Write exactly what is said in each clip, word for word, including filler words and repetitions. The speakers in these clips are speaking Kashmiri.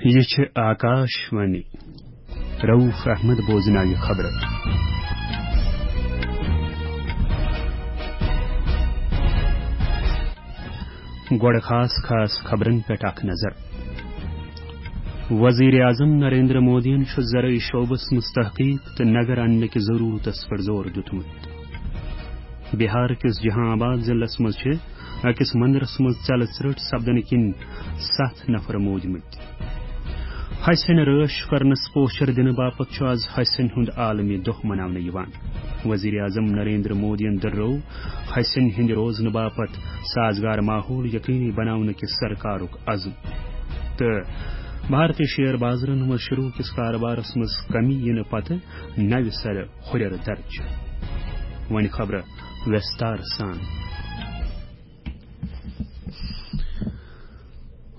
یہِ چھِ آکاش وانی۔ رؤف احمد بوزناوِ خبرٕ۔ گۄڈٕ خاص خاص خبرن پٮ۪ٹھ اکھ نظر۔ وزیر اعظم نریندر مودیَن چھُ زرعی شعبس منٛز تحقیق تہٕ نگر اننہٕ کہِ ضروٗرتس پٮ۪ٹھ زور دیُتمُت۔ بہار کِس جہاں آباد ضلعس منٛز چھِ أکِس مندرس منٛز ژٮ۪لہٕ ژرٛٹھ سپدنہٕ کِنۍ ستھ نفر موٗدمٕتۍ۔ ہسٮ۪ن رٲچھ کرنس پوچھر دِنہٕ باپتھ چھُ از ہسٮ۪ن ہُنٛد عالمی دۄہ مناونہٕ یِوان۔ وزیر اعظم نریندر مودیَن دٔرٲو ہسٮ۪ن ہٕنٛدِ روزنہٕ باپتھ سازگار ماحول یقینی بناونہٕ کِس سرکارُک عزم۔ تہٕ بھارتی شیئر بازرن منٛز شروع کِس کارٕبارس منٛز کمی یِنہٕ پتہٕ نوِ سرٕ ہُرٮ۪ر درجہِ۔ وۄنۍ خبرٕ وِستار سان۔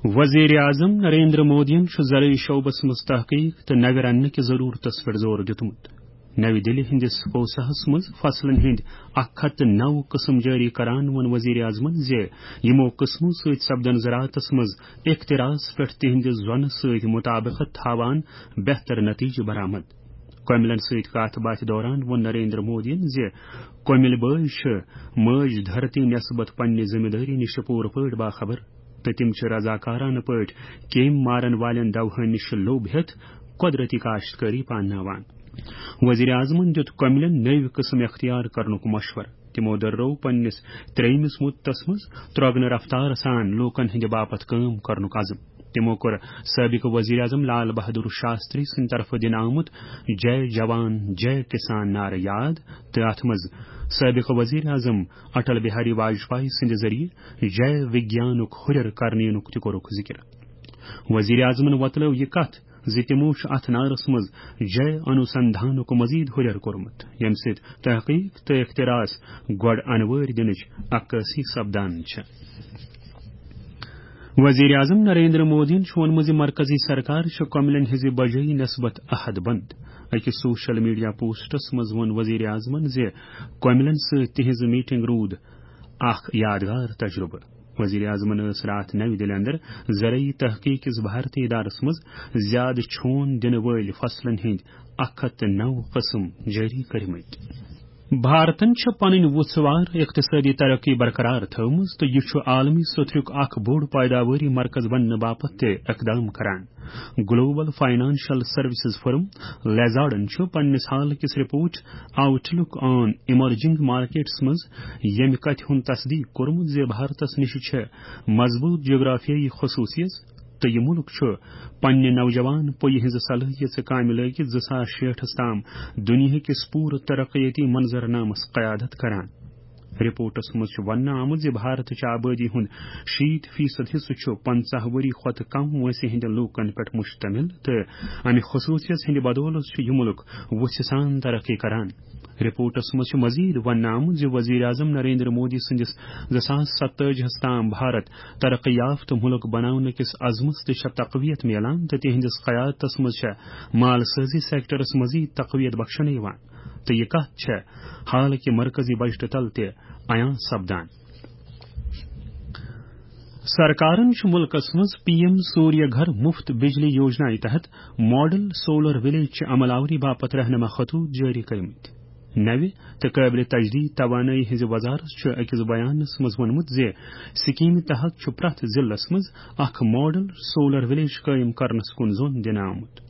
وزیر اعظم نریندر مودیَن چھُ زرعی شعبس منٛز تحقیق تہٕ نگر اننہٕ کہِ ضروٗرتس پٮ۪ٹھ زور دیُتمُت۔ نَوِ دِلہِ ہٕنٛدِس کوساہس منٛز فصلن ہٕنٛدۍ اکھ ہتھ تہٕ نَو قٕسم جٲری کران ووٚن وزیر اعظمن زِ یِمو قٕسمو سۭتۍ سپدن زراعتس منٛز اختراعس پٮ۪ٹھ تِہنٛدِ زۄنہٕ سۭتۍ مطابقت تھاوان بہتر نتیجہٕ برآمد۔ کۄمِلن سۭتۍ کتھ باتھِ دوران ووٚن نریندر مودیَن زِ کۄمِلۍ بٲے چھِ مٲج دھرتی نسبت پننہِ ذمہٕ دٲری نِش پوٗرٕ پٲٹھۍ باخبر تہٕ تِم چھِ رضاکارانہٕ پٲٹھۍ کیمۍ مارن والٮ۪ن دوہَن نِش لوٚب ہٮ۪تھ قۄدرتی کاشتکٲری پانناوان۔ وزیر اعظمن دیُت کۄمِلٮ۪ن نٔوۍ قٕسم اختیار کرنُک مشورٕ۔ تِمو دٔرٲو پننِس ترٛیٚیمِس مُدتس منٛز ترٛۄگنہٕ رفتارٕ سان لوٗکن ہٕنٛدِ باپتھ کٲم کرنُک عزم۔ تِمو کوٚر سٲبِق وزیر اعظم لال بہادُر شاستری سٕنٛدِ طرفہٕ دِنہٕ آمُت جے جوان، جے کسان نعرٕ یاد تہٕ اتھ منٛز سٲبِق وزیر اعظم اٹل بہاری واجپایی سٕنٛدِ ذٔریعہٕ جے وگیانُک ہُرٮ۪ر کرنہٕ یِنُک تہِ کوٚرُکھ ذِکِر۔ وزیر اعظمن وۄتلٲو یہِ کتھ زِ تِمو چھُ اتھ نعرس منٛز جے انوسندھانُک مزید ہُرٮ۪ر کوٚرمُت، ییٚمہِ سۭتۍ تحقیق تہٕ اختراعس گۄڈٕ انوٲرۍ دِنٕچ عکٲسی سپدان چھےٚ۔ وزیر اعظم نریندر مودیَن چھُ ووٚنمُت زِ مرکزی سرکار چھِ کۄمِلٮ۪ن ہٕنٛزِ بجٲیی نسبت عہد بند۔ أکِس سوشل میڈیا پوسٹس منٛز ووٚن وزیر اعظمن زِ کۄمِلٮ۪ن سۭتۍ تِہنٛز میٹنگ روٗد اکھ یادگار تجربہٕ۔ وزیر اعظمن ٲس راتھ نَوِ دِلہِ اندر زرعی تحقیق کِس بھارتی ادارس منٛز زیادٕ چھون دِنہٕ وٲلۍ فصلن ہٕنٛدۍ اکھ ہتھ تہٕ نَو قٕسم جٲری کٔرمٕتۍ۔ بھارتن چھِ پنٕنۍ وُژھ وار اقتصٲدی ترقی برقرار تھٲومٕژ تہٕ یہِ چھُ عالمی سطحُک اکھ بوٚڑ پٲداوٲری مرکز بننہٕ باپتھ تہِ اقدام کران۔ گلوبل فاینانشل سروسز فرم لیزارڈن چھُ پننِس حال کِس رپورٹ آؤٹ لک آن ایمرجنگ مارکیٹس منٛز ییٚمہِ کتھِ ہُنٛد تصدیق کوٚرمُت زِ بھارتس نِش چھِ مضبوط جغرافیائی خصوصیت تہٕ یہِ مُلک چھُ پننہِ نوجوان پُیہِ ہٕنٛزِ صلٲحیژٕ کامہِ لٲگِتھ زٕ ساس شیٹھس تام دُنیاہکِس پوٗرٕ ترقیتی منظرنامس قیادت کران۔ رپورٹس منٛز چھُ وننہٕ آمُت زِ بھارتٕچ آبٲدی ہُنٛد شیٖتھ فیصد حصہٕ چھُ پنٛژاہ ؤری کھۄتہٕ کم وٲنٛسہِ ہٕنٛدٮ۪ن لوٗکن پٮ۪ٹھ مشتمل تہٕ امہِ خصوٗصیت ہٕنٛدِ بدولتھ چھُ یہِ مُلک وُژھِ سان ترقی کران۔ رپورٹس منٛز چھُ مزید وننہٕ آمُت زِ وزیر اعظم نریندر مودی سٕنٛدِس زٕ ساس ستٲجی ہس تام بھارت ترقی یافتہٕ مُلک بناونہٕ کِس عزمس تہِ چھےٚ تقویت میلان تہٕ تِہنٛدِس قیادتس منٛز چھےٚ مال سٲزی سیکٹرس مزید تقویت بخشنہٕ یِوان۔ تہٕ یہِ کتھ چھےٚ حالٕکہِ مرکزی بجٹہٕ تل تہِ عیاں سپدان۔ سرکارن چھُ مُلکس منٛز پی ایم سوریہ گھر مفت بجلی یوجنا تحت ماڈل سولر ولیج چہِ عمل آوری باپتھ رہنما خطوط جٲری کٔرمٕتۍ۔ نوِ تہٕ قٲبلِ تجدید توانٲیی ہٕنٛزِ وزارت چھُ أکِس بیانس منٛز ووٚنمُت زِ سکیمہِ تحت چھُ پرٛٮ۪تھ ضلعس منٛز اکھ ماڈل سولر ولیج قٲیِم کرنس کُن زوٚن دِنہٕ آمُت۔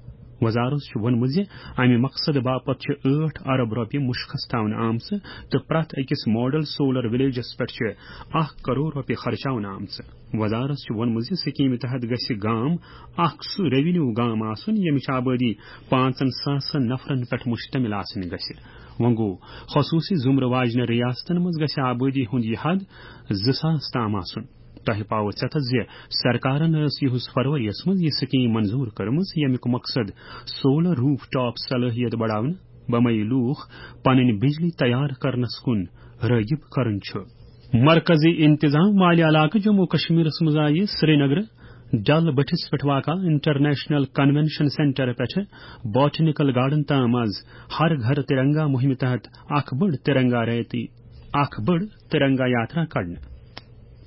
وزارت چھُ ووٚنمُت زِ امہِ مقصدٕ باپتھ چھِ ٲٹھ ارب رۄپیہِ مُشخص تھاونہٕ آمژٕ تہٕ پرٛٮ۪تھ أکِس ماڈل سولر ولیجس پٮ۪ٹھ چھِ اکھ کرور رۄپیہِ خرچاونہٕ آمژٕ۔ وزارت چھُ ووٚنمُت زِ سکیمہِ تحت گژھِ گام اکھ سُہ ریونیو گام آسُن، ییٚمِچ آبٲدی پانٛژن ساسن نفرن پٮ۪ٹھ مشتمل آسٕنۍ گژھِ۔ وۄنۍ گوٚو، خصوٗصی زُمرٕ واجنہِ ریاستن منٛز گژھِ آبٲدی ہُنٛد یہِ حد زٕ ساس تام آسُن۔ تۄہہِ پاوٕ ژٮ۪تس زِ سرکارن ٲس یِہُس فروری یس منٛز یہِ سکیٖم منظوٗر کٔرمٕژ، ییٚمیُک مقصد سولر روف ٹاپ صلٲحیت بڑاونہٕ، بمے لوٗکھ پنٕنۍ بجلی تیار کرنس کُن رٲغب کرُن چھُ۔ مرکزی انتظام والہِ علاقہٕ جموں کشمیرس منٛز آیہِ سرینگرٕ ڈل بٔٹھِس پٮ۪ٹھ واقع انٹرنیشنل کنونشن سینٹر پٮ۪ٹھٕ باٹنیکل گارڈن تام از ہر گھر ترنگا مہمہِ تحت اکھ بٔڑ ترنگا ریتی، اکھ بٔڑ ترنگا یاترا کڑنہٕ۔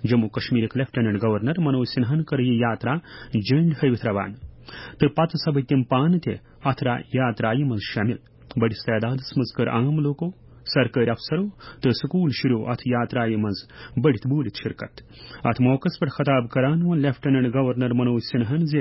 جموں کشمیرٕکۍ لیفٹیننٹ گورنر منوج سنہاہن کٔر یہِ یاترا جھنڈ ہٲوِتھ روانہٕ۔ تہٕ پتہٕ سپٕدۍ تِم پانہٕ تہِ اتھ را-، یاترایہِ منٛز شٲمِل۔ بٔڑِس تعدادس منٛز کٔر عام لوٗکو، سرکٲرۍ افسرو تہٕ سکوٗل شُرٮ۪و اتھ یاترایہِ منٛز بٔڑِتھ بوٗلِتھ شرکت۔ اتھ موقعس پٮ۪ٹھ خطاب کران ووٚن لیفٹیننٹ گورنر منوج سنہاہن زِ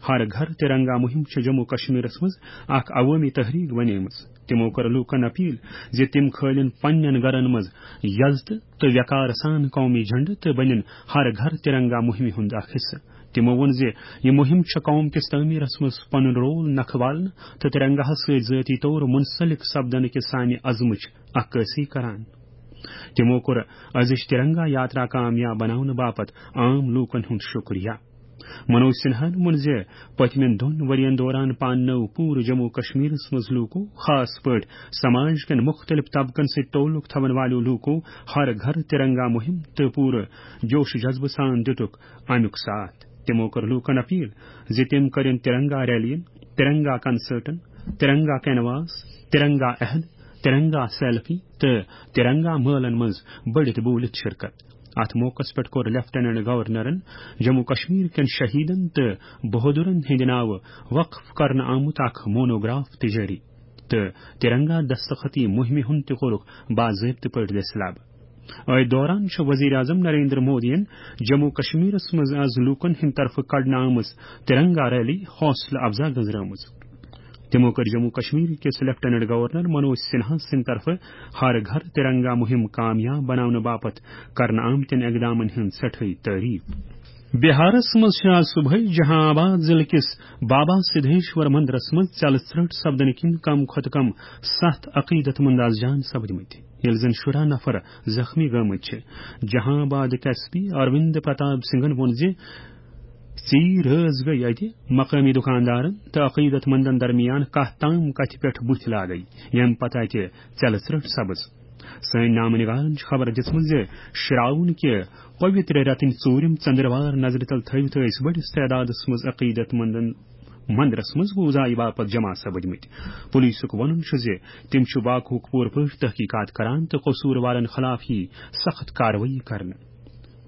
ہر گھر ترنگا مُہِم چھِ جموں کشمیرس منٛز اکھ عوٲمی تحریک بنیمٕژ۔ تِمو کٔر لوٗکن اپیل زِ تِم کھٲلِن پننٮ۪ن گرن منٛز یزتہٕ تہٕ وقار سان قومی جھنڈٕ تہٕ بٔنِن ہر گھر ترنگا مُہِمہِ ہُنٛد اکھ حصہٕ۔ تِمو ووٚن زِ یہِ مُہِم چھےٚ قوم کِس تعمیٖرس منٛز پنُن رول نکھٕ والنہٕ تہٕ ترنگاہس سۭتۍ ذٲتی طور منسلک سپدنہٕ کِس سانہِ عزمٕچ عکٲسی کران۔ تِمو کوٚر أزِچ ترنگا یاترا کامیاب بناونہٕ باپتھ عام لوٗکن ہُنٛد شُکریہ۔ منوج سنہاہن ووٚن زِ پٔتمٮ۪ن دۄن ؤرین دوران پاننٲو پوٗرٕ جموں کشمیرس منٛز لوٗکو، خاص پٲٹھۍ سماج کٮ۪ن مُختٔلِف طبقن سۭتۍ تعلق تھاون والٮ۪و لوٗکو، ہر گھر ترنگا مُہِم تہٕ پوٗرٕ جوش و جذبہٕ سان دِتُکھ امیُک ساتھ۔ تِمو کٔر لوٗکن اپیل زِ تِم کٔرِن ترنگا ریلین، ترنگا کنسرٹن، ترنگا کینواس، ترنگا عہد، ترنگا سیلفی تہٕ ترنگا مٲلن منٛز بٔڑِتھ بوٗلِتھ شرکت۔ اتھ موقعس پٮ۪ٹھ کوٚر لیفٹیننٹ گورنرن جموں کشمیر کٮ۪ن شہیدن تہٕ بہادرن ہٕنٛدِ ناوٕ وقف کرنہٕ آمُت اکھ مونوگراف تہِ جٲری تہٕ ترنگا دستخطی مُہِمہِ ہُنٛد تہِ کوٚرُکھ باضٲبطہٕ پٲٹھۍ دٔسلاب۔ أتھۍ دوران چھُ وزیر اعظم نریندر مودیَن جموں کشمیرس منٛز از لوٗکن ہٕنٛدِ طرفہٕ کڑنہٕ آمٕژ ترنگا ریلی حوصلہٕ افزا گٔنزرٲومٕژ۔ تِمو کٔر جموں کشمیر کِس لیفٹیننٹ گورنر منوج سنہا سٕنٛدِ طرفہٕ ہر گھر ترنگا مُہِم کامیاب بناونہٕ باپتھ کرنہٕ آمتٮ۪ن اقدامن ہٕنٛز سٮ۪ٹھٲے تعریف۔ بہارس منٛز چھِ آز صبحٲے جہاں آباد ضلعہٕ کِس بابا سدھیشور مندرس منٛز ژٮ۪لہٕ ژرٛٹھ سپدنہٕ کِنۍ کم کھۄتہٕ کم ستھ عقیدت مند از جان سپدمٕتۍ، ییٚلہِ زن شُراہ نفر زخمی گٔمٕتۍ چھِ۔ جہاں آبادٕکۍ ایس پی اروند پرتاپ سنگھن ووٚن زِ ژیٖرۍ رٲژ گٔیہِ اَتہِ مقٲمی دُکاندارن تہٕ عقیدت مندن درمیان کتھ تام کتھِ پٮ۪ٹھ بُتھۍ لاگے، ییٚمہِ پتہٕ اَتہِ ژٮ۪لہٕ ژرٛٹھ سپٕز۔ سٲنۍ نامہٕ نگارن چھِ خبر دِژمٕژ زِ شراوُن کہِ پویتر رٮ۪تٕنۍ ژوٗرِم ژندروار نظرِ تل تھٲوِتھ ٲسۍ بٔڑِس تعدادس منٛز عقیدت مندن مندرس منٛز پوٗزایہِ باپتھ جمع سپٕدمٕتۍ۔ پولیسُک وَنُن چھُ زِ تِم چھِ واقعُک پوٗرٕ پٲٹھۍ تحقیقات کران تہٕ قصوٗروارن خلاف یی سخت کاروٲیی کرنہٕ۔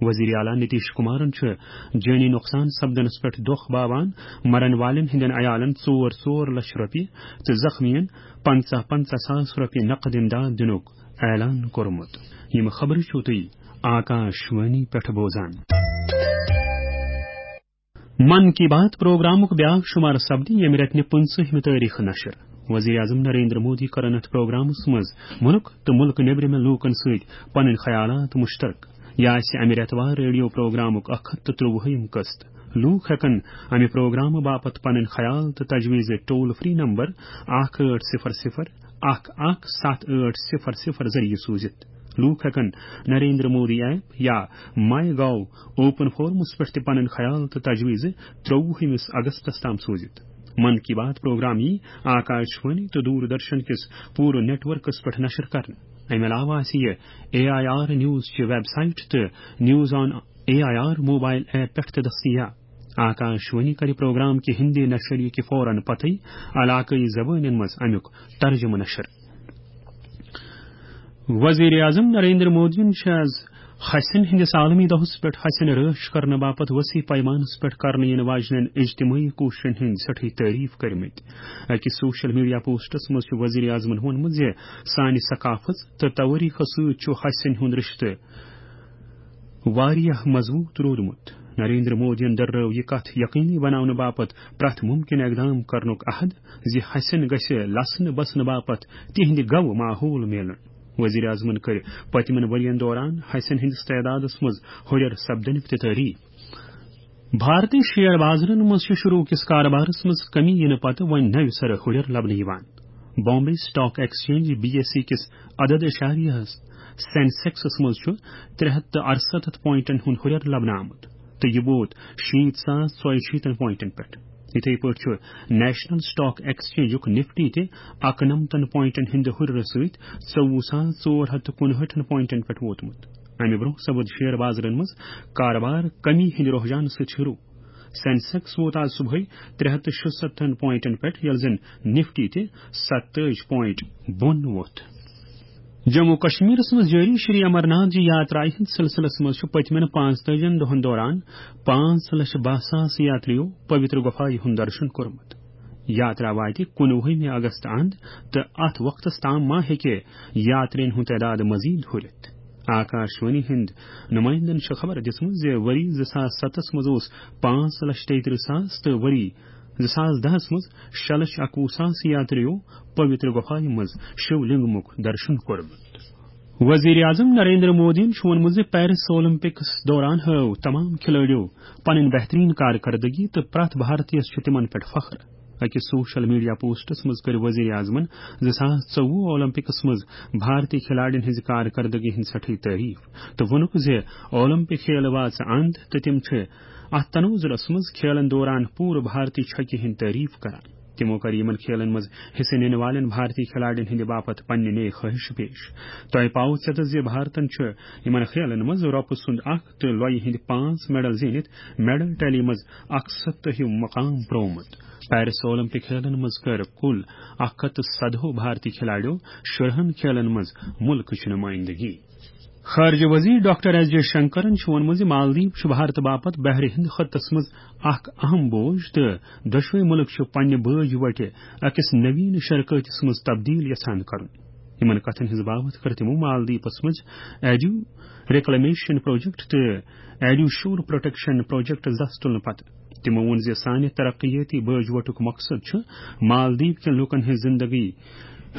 وزیر اعلیٰ نتیش کمارن چھُ جٲنی نۄقصان سپدنس پٮ۪ٹھ دۄکھ باوان مرن والٮ۪ن ہٕنٛدٮ۪ن عیالن ژور ژور لچھ رۄپیہِ تہٕ زخمیَن پنٛژاہ پنٛژاہ ساس رۄپیہِ نقد امداد دِنُک اعلان کوٚرمُت۔ یِم خبرٕ چھِو تُہۍ آکاش وانی پٮ۪ٹھ بوزان۔ من کی بات پروگرامُک بیاکھ شمارٕ سپدِ ییٚمہِ رٮ۪تہٕ نہِ پٕنٛژٕہمہِ تٲریخہٕ نشر۔ وزیر اعظم نریندر مودی کرن اتھ پروگرامس منٛز مُلک تہٕ مُلک نیبرِمٮ۪ن لوٗکن سۭتۍ پنٕنۍ خیالات مشترک۔ یہِ آسہِ امہِ رٮ۪تہٕ وار ریڈیو پروگرامُک اکھ ہتھ تہٕ ترٛۆوُہِم قسط۔ لوٗکھ ہٮ۪کن امہِ پروگرامہٕ باپتھ پنٕنۍ خیال تہٕ تجویز ٹول فری نمبر اکھ ٲٹھ صفر صفر اکھ اکھ ستھ ٲٹھ صفر صفر ذٔریعہٕ سوٗزِتھ۔ لوٗکھ ہٮ۪کن نریندر مودی ایپ یا ماے گاو اوپن فورمس پٮ۪ٹھ تہِ پنٕنۍ خیال تہٕ تجویز ترٛۆوُہمِس اگستس تام سوٗزِتھ۔ من کی بات پروگرام یی آکاش وانی تہٕ دوردرشن کِس پوٗرٕ نیٹ ورکس پٮ۪ٹھ نشر کرنہٕ۔ امہِ علاوٕ آسہِ یہِ اے آئی آر نیوز چہِ ویب سائٹ تہٕ news on A I R mobile app پٮ۪ٹھ تہِ دٔستیاب۔ آکاش وانی کرِ پروگرام کہِ ہندی نشریہِ کہِ فوراً پتہٕ علاقٲیی زبٲنٮ۪ن منٛز امیُک ترجمہٕ نشر۔ وزیر اعظم نریندر مودیَن چھِ آز ہسٮ۪ن ہٕنٛدِس عالمی دۄہس پٮ۪ٹھ ہسٮ۪ن رٲچھ کرنہٕ باپتھ وسیع پیمانس پٮ۪ٹھ کرنہٕ یِنہٕ واجنٮ۪ن اجتمٲعی کوٗششن ہٕنٛدۍ سٮ۪ٹھٕے تعریف کٔرمٕتۍ۔ أکِس سوشل میڈیا پوسٹس منٛز چھُ وزیر اعظمن ووٚنمُت زِ سانہِ ثقافت تہٕ توٲریخس سۭتۍ چھُ ہسٮ۪ن ہُنٛد رشتہٕ واریاہ مضبوط روٗدمُت۔ نریندر مودیَن دٔررٲو یہِ کتھ یقینی بناونہٕ باپتھ پرٛٮ۪تھ ممکن اقدام کرنُک عہد زِ ہسٮ۪ن گژھِ لسنہٕ بسنہٕ باپتھ تِہنٛدِ گوٚو ماحول میلُن۔ وزیر اعظمن کٔرۍ پٔتمٮ۪ن ؤرین دوران ہسٮ۪ن ہٕنٛدِس تعدادس منٛز ہُرٮ۪ر سپدنٕکۍ تہِ تعریف۔ بھارتی شیئر بازرن منٛز چھِ شروع کِس کاربارس منٛز کمی یِنہٕ پتہٕ وۄنۍ نوِ سرٕ ہُرٮ۪ر لبنہٕ یِوان۔ Bombay stock exchange, B S E, کِس عدد اشاریہس سینسیکسس منٛز چھُ ترٛےٚ ہتھ تہٕ ارستتھ پوائنٹن ہُنٛد ہُرٮ۪ر لبنہٕ آمُت تہٕ یہِ ووت شیٖتھ ساس ژۄیہِ شیٖتن پوائنٹن پٮ۪ٹھ۔ یِتھے پٲٹھۍ چھُ نیشنل اسٹاک ایکسچینجُک نفٹی تہِ اکنمتن پوائنٹن ہٕنٛدِ ہُرٮ۪رٕ سۭتۍ ژوٚوُہ ساس ژور ہتھ تہٕ کُنہٲٹھن پوائنٹن پٮ۪ٹھ ووتمُت۔ امہِ برٛونٛہہ سپُد شیئر بازرن منٛز کاربار کمی ہٕنٛدِ رحجانہٕ سۭتۍ شروع۔ سینسیکس ووت آز صبحٲے ترٛےٚ ہتھ تہٕ شُستتھن پوائنٹن پٮ۪ٹھ، ییٚلہِ زن نفٹی تہِ ستٲجۍ پوائنٹ بۄن ووٚتھ۔ جموں کشمیرس منٛز جٲری شری امرناتھ جی یاترایہِ ہٕنٛدِ سلسلس منٛز چھُ پٔتمٮ۪ن پانٛژتٲجِن دۄہن دوران پانٛژھ لچھ باہ ساس یاتریو پویتر گۄپھایہِ ہُنٛد درشن کوٚرمُت۔ یاترا واتہِ کُنوُہمہِ اگست اند تہٕ اتھ وقتس تام ما ہیٚکہِ یاترین ہُنٛد تعداد مزید ہُرِتھ۔ آکاشوانی ہٕنٛدۍ نمائندن چھِ خبر دِژمٕژ زِ ؤری زٕ ساس ستس منٛز اوس پانٛژھ لچھ تیترٕہ ساس تہٕ ؤری زٕ ساس دہس منٛز شےٚ لچھ اکوُہ ساس یاتریو پویتر گۄپھایہِ منٛز شیو لنگمُک درشن کوٚرمُت۔ وزیر اعظم نریندر مودیَن چھُ ووٚنمُت زِ پیرس اولمپکس دوران ہٲو تمام کھلٲڑیو پنٕنۍ بہترین کارکردگی تہٕ پرٛٮ۪تھ بھارتیَس چھُ تِمن پٮ۪ٹھ فخر۔ أکِس سوشل میڈیا پوسٹس منٛز کٔر وزیر اعظمن زٕ ساس ژوٚوُہ اولمپکس منٛز بھارتی کھلاڑین ہٕنٛزِ کارکردگی ہٕنٛز سٮ۪ٹھٕے تعریف تہٕ ووٚنُکھ زِ اولمپک کھیل واژٕ اند تہٕ تِم چھِ اتھ تناظرس منٛز کھیلن دوران پوٗرٕ بھارتی چھۄکہِ ہٕنٛدۍ تعریف کران۔ تِمو کٔر یِمن کھیلن منٛز حصہٕ نِنہٕ والٮ۪ن بھارتی کھلاڑین ہٕنٛدِ باپتھ پننہِ نیک خٲہِش پیش۔ تۄہہِ پاوٕ ژٮ۪تس زِ بھارتن چھُ یِمن کھیلن منٛز رۄپہٕ سُنٛد اکھ تہٕ لۄیہِ ہٕنٛدۍ پانٛژھ میڈل زیٖنِتھ میڈل ٹیلی منٛز اکھ ستٲہِم مقام پرٛوومُت۔ پیرس اولمپک کھیلن منٛز کٔر کُل اکھ ہتھ تہٕ سدہو بھارتی کھلاڑیو شُرہن کھیلن منٛز مُلکٕچ نُمٲیندگی۔ خارجہ وزیر ڈاکٹر ایس جے شنکرن چھُ ووٚنمُت زِ مالدیپ چھُ بھارت باپتھ بحرِ ہند خطس منٛز اکھ اہم بوج تہٕ دۄشوے مُلک چھِ پننہِ بٲج وٹہِ أکِس نوین شراکتس منٛز تبدیل یژھان کرُن۔ یِمن کتھن ہٕنٛز باوتھ کٔر تِمو مالدیپس منٛز ایڈیو ریکلیمیشن پروجیکٹ تہٕ ایڈیو شور پروٹیکشن پروجیکٹ دس تُلنہٕ پتہٕ۔ تِمو ووٚن زِ سانہِ ترقیٲتی بٲج وٹُک مقصد چھُ مالدیپ کٮ۪ن لوٗکن ہٕنٛز زِندگی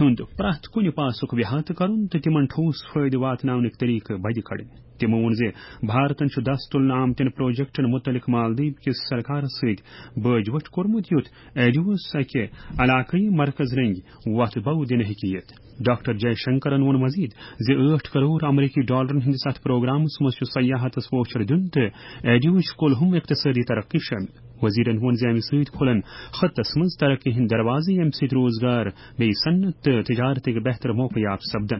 ہُنٛد پرٛٮ۪تھ کُنہِ پاسُک احاطہٕ کرُن تہٕ تِمن ٹھوس فٲیدٕ واتناونٕکۍ طریقہٕ بدِ کڑٕنۍ۔ تِمو ووٚن زِ بھارتن چھُ دس تُلنہٕ آمتٮ۪ن پروجیکٹن مُتعلق مالدیپ کِس سرکارس سۭتۍ بٲج وٹھ کوٚرمُت، یُتھ ایڈیوس اکہِ علاقٲیی مرکز رٔنگۍ وتھ بو دِنہٕ ہیٚکہِ یِتھ۔ ڈاکٹر جے شنکرن ووٚن مزید زِ ٲٹھ کرور امریکی ڈالرن ہٕنٛدِس اتھ پروگرامس منٛز چھُ سیاحتس پوچھر دیُن تہٕ ایڈیوٕچ کُلہُم اقتصٲدی ترقی شٲمِل۔ وزیرن ووٚن زِ امہِ سۭتۍ کھُلن خطس منٛز ترقی ہٕنٛدۍ دروازٕ، ییٚمہِ سۭتۍ روزگار، بیٚیہِ صنعت تہٕ تجارتٕکۍ بہتر موقعہٕ یافہٕ سپدن۔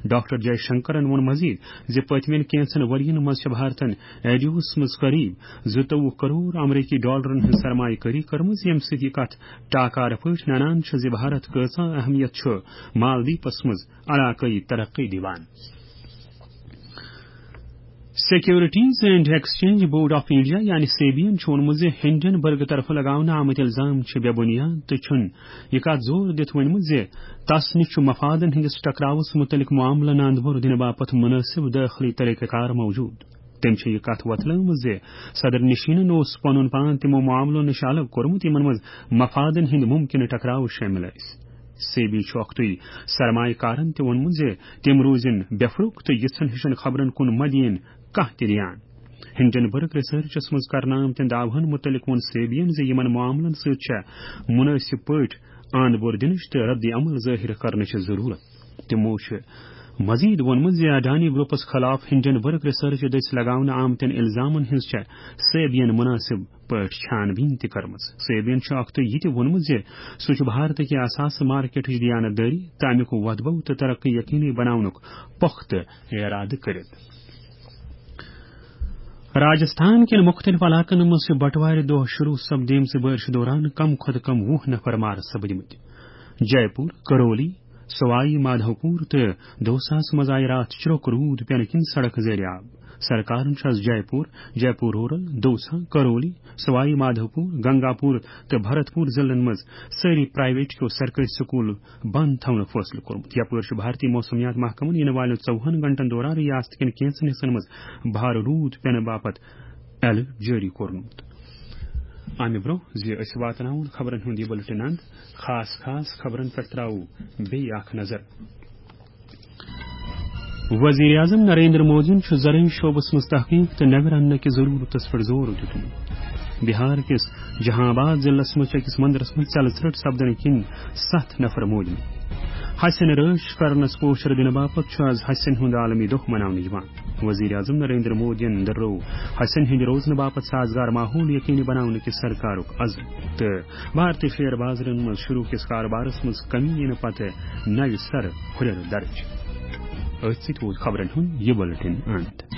ڈاکٹر جے شنکرن ووٚن مزید زِ پٔتمٮ۪ن کینٛژن ؤرین منٛز چھِ بھارتن ایڈیوس منٛز قریب زٕتووُہ کرور امریکی ڈالرن ہٕنٛز سرمایہ کٲری کٔرمٕژ، ییٚمہِ سۭتۍ یہِ کتھ ٹاکارٕ پٲٹھۍ ننان چھِ زِ بھارت کۭژاہ اہمیت چھُ مالدیپس منٛز علاقٲیی ترقی دِوان۔ Securities and exchange board of India یعنی سیبین چھُ ووٚنمُت زِ ہنڈنبرگ طرفہٕ لگاونہٕ آمٕتۍ الزام چھِ بے بُنیاد تہٕ چھُنہٕ یہِ کتھ زور دِتھ ؤنمٕژ زِ تس نِش چھُ مفادن ہٕنٛدِس ٹکراوس مُتعلق معاملہٕ ناندبور دِنہٕ باپتھ مُنٲسِب دٲخلی طریقہٕ کار موجود۔ تٔمۍ چھِ یہِ کتھ وۄتلٲومٕژ زِ صدر نشینن اوس پنُن پان تِمو معاملو نِش الگ کوٚرمُت، یِمن منٛز مفادن ہٕنٛدۍ ممکنہٕ ٹکراو شٲمِل ٲسۍ۔ سیبی چھُ اکھتُے سرمایہ کارن تہِ ووٚنمُت زِ تِم روزن بے فروق تہٕ یِژھن ہِشن خبرن کُن مہ دِیِن کانٛہہ تہِ دھیان۔ ہنڈنبرگ ریسرچس منٛز کرنہٕ آمتٮ۪ن دعوہن مُتعلق ووٚن سیبین زِ یِمن معاملن سۭتۍ چھےٚ مُنٲسِب پٲٹھۍ آند بور دِنٕچ تہٕ رد عمل ظٲہِر کرنٕچ ضروٗرت۔ تِمو چھُ مزید ووٚنمُت زِ اڈانی گروپس خلاف ہنڈنبرگ ریسرچ دٔسۍ لگاونہٕ آمتٮ۪ن الزامن ہٕنٛز چھےٚ سیبین مُنٲسِب پٲٹھۍ چھان بیٖن تہِ کٔرمٕژ۔ سیبین چھُ اکھتُے یہِ تہِ ووٚنمُت زِ سُہ چھُ بھارتٕکہِ اثاثہٕ مارکیٹٕچ دیانت دٲری تہٕ امیُک وۄتھ بو تہٕ ترقی یقینی بناونُک پۄختہٕ ارادٕ کٔرِتھ۔ راجستھان کٮ۪ن مُختٔلِف علاقن منٛز چھِ بٹوارِ دۄہ شروع سپدیمژِ بٲرشہِ دوران کم کھۄتہٕ کم وُہ نفر مارٕ سپدمٕتۍ۔ جے پور، کرولی، سوائی مادھو پور تہٕ دوساہس منٛز آیہِ راتھ چرٛوک روٗد پٮ۪نہٕ کِنۍ سڑک زیرِ آب۔ سرکارن چھُ از جے پور، جے پور رورل، دوسا، کرولی، سوائی مادھو پور، گنگا پور تہٕ بھرت پور ضلعن منٛز سٲری پرائیویٹ کیو سرکٲرۍ سکول بند تھاونُک فٲصلہٕ کوٚرمُت۔ یپٲرۍ چھُ بھارتی موسمیات محکمن یِنہٕ والٮ۪ن ژوٚوُہن گھنٹن دوران ریاست کٮ۪ن کینٛژن حصن منٛز بھارٕ روٗد پٮ۪نہٕ باپتھ الرٹ جٲری کوٚرمُت۔ امہِ برٛونٛہہ زِ أسۍ واتناوون خبرن ہُنٛد یہِ بُلٹن اند، خاص خاص خبرن پٮ۪ٹھ ترٛاوو بیٚیہِ اکھ نظر۔ وزیر اعظم نریندر مودیَن چھُ زرعی شعبس منٛز تحقیق تہٕ نوِ رننہٕ کِس ضروٗرتس پٮ۪ٹھ زور دیُتمُت۔ بہار کِس جہاں آباد ضلعس منٛز چھِ أکِس مندرس منٛز ژٮ۪لہٕ ژرٛٹ سپدنہٕ کِنۍ ستھ نفر موٗدمٕتۍ۔ ہسٮ۪ن رٲچھ کرنس پوچھر دِنہٕ باپتھ چھُ از ہسٮ۪ن ہُنٛد عالمی دۄہ مناونہٕ یِوان۔ وزیر اعظم نریندر مودیَن دۄہرٲو ہسٮ۪ن ہٕنٛدِ روزنہٕ باپتھ سازگار ماحول یقینی بناونہٕ کِس سرکارُک عزم تہٕ بھارتی شیئر بازرن منٛز شروع کِس کارٕبارس منٛز کمی یِنہٕ پتہٕ نوِ سرٕ ہُرٮ۪ر درٕج۔ أتھۍ سۭتۍ ووت خبرن ہُنٛد یہِ بُلٹن اند۔